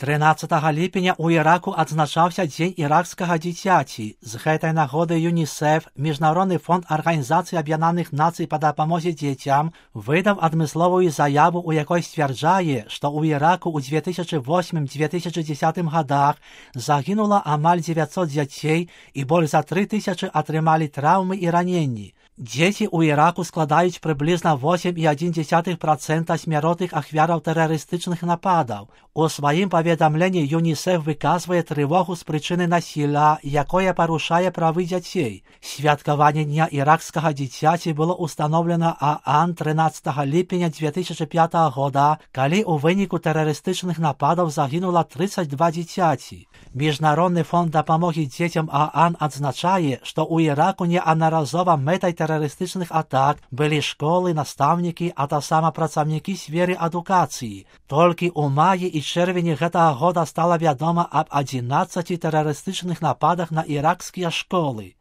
13 ліпеня ў Іраку адзначаўся Дзень іракскага дзіцяці. З гэтай нагоды ЮНІСЕФ, Міжнародны фонд Арганізацыі Аб'яднаных Нацый па дапамозе дзецям, выдаў адмысловую заяву, у якой сцвярджае, што ў Іраку ў 2008-2010 годах загінула амаль 900 дзяцей і больш за 3000 атрымалі траўмы і раненні. Дзеці ў Іраку складаюць прыблізна 8,1% смяротных ахвяраў тэрарыстычных нападаў. У сваім паведамленні ЮНІСЕФ выказвае трывогу з прычыны насілля, якое парушае правы дзяцей. Святкаванне Дня іракскага дзіцяці было ўстаноўлена ААН 13 ліпеня 2005 года, калі ў выніку тэрарыстычных нападаў загінула 32 дзіцяці. Міжнародны фонд дапамогі дзецям ААН адзначае, што ў Іраку неаднаразова мэтай тэрарыстычных атак былі школы, настаўнікі, а таксама працаўнікі сферы адукацыі. Толькі ў маі і чэрвені гэтага года стала вядома аб 11 тэрарыстычных нападах на іракскія школы.